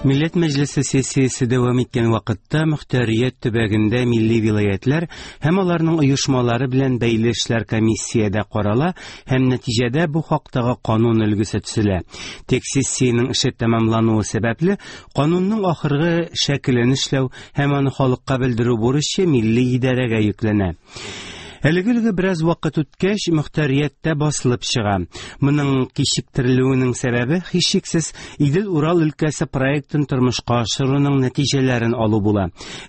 Милләт Мәҗлесе сессиясе дәвам иткән вакытта мөхтәрият төбәгендә милли вилаятьләр һәм аларның оешмалары белән бәйле эшләр комиссиядә карала һәм нәтиҗәдә бу хактагы канун өлгесе төзелә. Тик сессиянең эше тәмамлануы сәбәпле, канунның ахыргы шәкелен эшләү һәм аны халыкка белдерү бурычы милли идарәгә йөкләнә. Әлеге өлге бераз вакыт үткәч, мөхтәрияттә басылып чыга. Моның кичектерелүенең сәбәбе, һичшиксез, Идел-Урал өлкәсе проектын тормышка ашыруның нәтиҗәләрен алу була.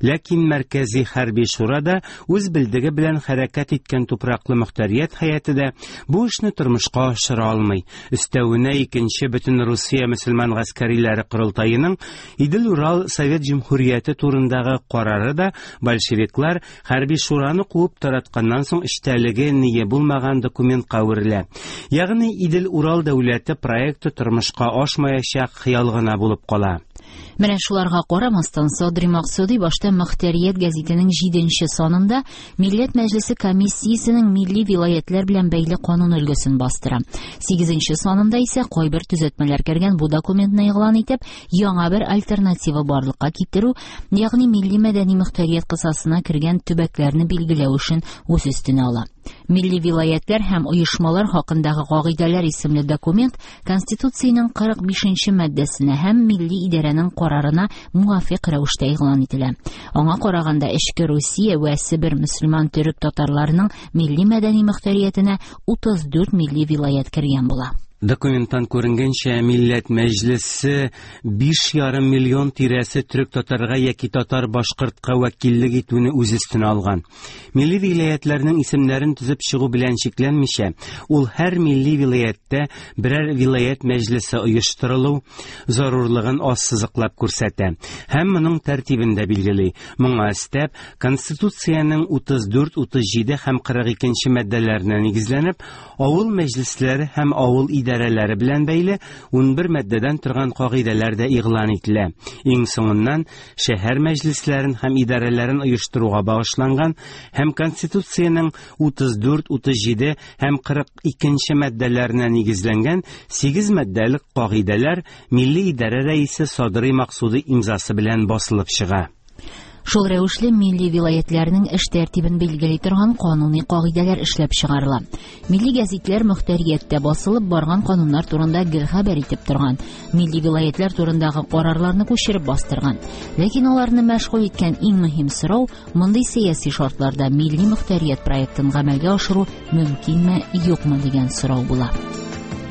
Ләкин Мәркәзи хәрби шура да, үз белдеге белән хәрәкәт иткән тупраклы мөхтәрият һәйәте дә бу эшне тормышка ашыра алмый. Өстәвенә икенче Бөтенрусия мөселман гаскәриләре корылтаеның Идел-Урал Совет җөмһүрияте турындагы карары да большевиклар Хәрби шураны куып таратканнан соң эчтәлеге ние булмаган документка әверелә. Ягъни Идел-Урал дәүләте проекты тормышка ашмаячак хыял гына булып кала. Менә шуларга карамастан, Садри Максуди башта Мөхтәрият гәзитенең җиденче санында Милләт Мәҗлесе комиссиясенең милли вилаятьләр белән бәйле канун өлгесен бастыра. Сигезенче санында исә кайбер төзәтмәләр кергән бу документны игълан итеп, яңа бер альтернатива барлыкка китерү, ягъни милли-мәдәни мөхтәрият кысасына кергән төбәкләрне билгеләү эшен үз өстенә ала. Милли вилаятьләр һәм оешмалар хакындагы кагыйдәләр исемле документ Конституциянең 45 нче маддәсенә һәм милли идарәнең карарына муафикъ рәвештә игълан ителә. Аңа караганда, Эчке Русия вә Себер мөселман төрек-татарларының милли-мәдәни мөхтәриятенә 34 милли вилаять кергән була. Документтан күренгәнчә, Милләт Мәҗлесе 5,5 миллион тирәсе төрек-татарга яки татар-башкортка вәкиллек итүне үз өстенә алган. Милли вилаятьләрнең исемнәрен төзеп чыгу белән чикләнмичә, ул һәр милли вилаятьтә берәр вилаять мәҗлесе оештырылу зарурлыгын ассызыклап күрсәтә һәм моның тәртибен дә билгели. Моңа өстәп, Конституциянең 34, 37 һәм 42 нче маддәләренә нигезләнеп, Авыл мәҗлесләре һәм авыл идарәләре белән бәйле 11 маддәдән торган кагыйдәләр дә игълан ителә. Иң соңыннан шәһәр мәҗлесләрен һәм идарәләрен оештыруга багышланган һәм Конституциянең 34, 37 һәм 42 нче маддәләренә нигезләнгән 8 маддәлек кагыйдәләр Милли идарә рәисе Садрый Максуди имзасы белән басылып чыга. Шул рәвешле милли вилаятьләрнең эш тәртибен билгели торган кануни кагыйдәләр эшләп чыгарыла. Милли гәзитләр мөхтәрияттә басылып барган кануннар турында гел хәбәр итеп торган, милли вилаятьләр турындагы карарларны күчереп бастырган. Ләкин аларны мәшгуль иткән иң мөһим сорау, мондый сәяси шартларда милли мөхтәрият проектын гамәлгә ашыру мөмкинме, юкмы дигән сорау була.